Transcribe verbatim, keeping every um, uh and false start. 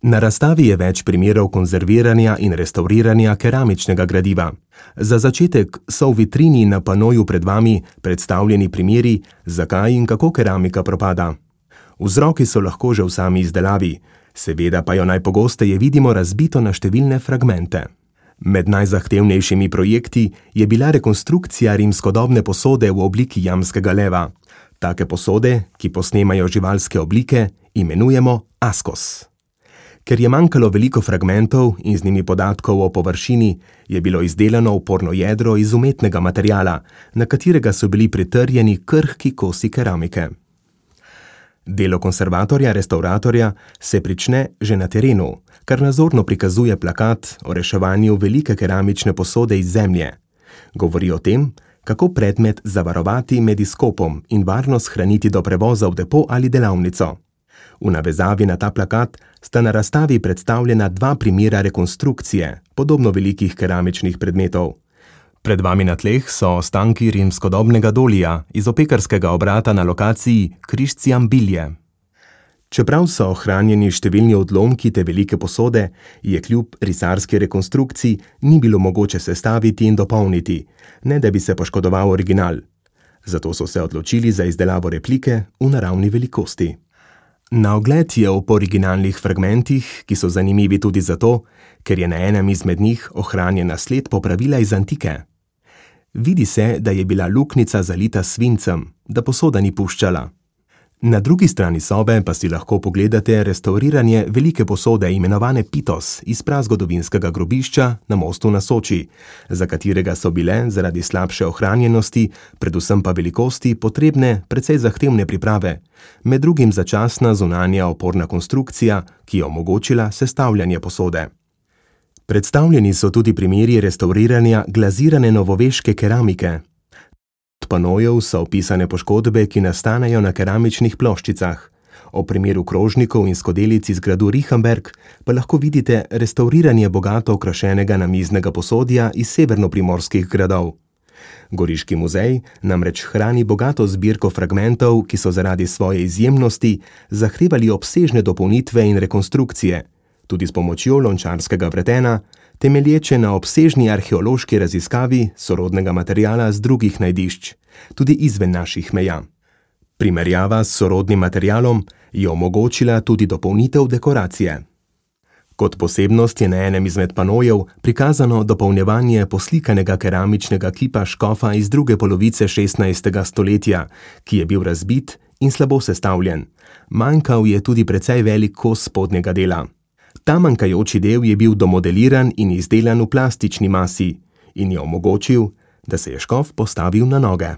Na razstavi je več primerov konzerviranja in restauriranja keramičnega gradiva. Za začetek so v vitrini na panoju pred vami predstavljeni primeri, zakaj in kako keramika propada. Vzroki so lahko že v sami izdelavi, seveda pa jo najpogosteje vidimo razbito na številne fragmente. Med najzahtevnejšimi projekti je bila rekonstrukcija rimskodobne posode v obliki jamskega leva. Take posode, ki posnemajo živalske oblike, imenujemo askos. Ker je manjkalo veliko fragmentov in z njimi podatkov o površini, je bilo izdelano oporno jedro iz umetnega materiala, na katerega so bili pritrjeni krhki kosi keramike. Delo konservatorja, restauratorja se prične že na terenu, kar nazorno prikazuje plakat o reševanju velike keramične posode iz zemlje. Govori o tem, kako predmet zavarovati med izkopom in varno shraniti do prevoza v depo ali delavnico. V navezavi na ta plakat sta na razstavi predstavljena dva primera rekonstrukcije podobno velikih keramičnih predmetov. Pred vami na tleh so ostanki rimskodobnega dolija iz opekarskega obrata na lokaciji Križciam Bilje. Čeprav so ohranjeni številni odlomki te velike posode, je kljub risarski rekonstrukciji ni bilo mogoče sestaviti in dopolniti, ne da bi se poškodoval original. Zato so se odločili za izdelavo replike v naravni velikosti. Na ogled je ob originalnih fragmentih, ki so zanimivi tudi zato, ker je na enem izmed njih ohranjena sled popravila iz antike. Vidi se, da je bila luknjica zalita s svincem, da posoda ni puščala. Na drugi strani sobe pa si lahko pogledate restauriranje velike posode imenovane Pitos iz prazgodovinskega grobišča na mostu na Soči, za katerega so bile zaradi slabše ohranjenosti, predvsem pa velikosti, potrebne precej zahtevne priprave, med drugim začasna zunanja oporna konstrukcija, ki je omogočila sestavljanje posode. Predstavljeni so tudi primeri restauriranja glazirane novoveške keramike. Od panojev so opisane poškodbe, ki nastanejo na keramičnih ploščicah. O primeru krožnikov in skodelic iz gradu Rihenberg pa lahko vidite restauriranje bogato okrašenega namiznega posodja iz severnoprimorskih gradov. Goriški muzej namreč hrani bogato zbirko fragmentov, ki so zaradi svoje izjemnosti zahtevali obsežne dopolnitve in rekonstrukcije, tudi s pomočjo lončarskega vretena, temelječe na obsežni arheološki raziskavi sorodnega materiala z drugih najdišč, tudi izven naših meja. Primerjava s sorodnim materialom je omogočila tudi dopolnitev dekoracije. Kot posebnost je na enem izmed panojev prikazano dopolnjevanje poslikanega keramičnega kipa škofa iz druge polovice šestnajstega stoletja, ki je bil razbit in slabo sestavljen. Manjkal je tudi precej velik kos spodnjega dela. Ta manjkajoči del je bil domodeliran in izdelan v plastični masi in je omogočil, da se je škof postavil na noge.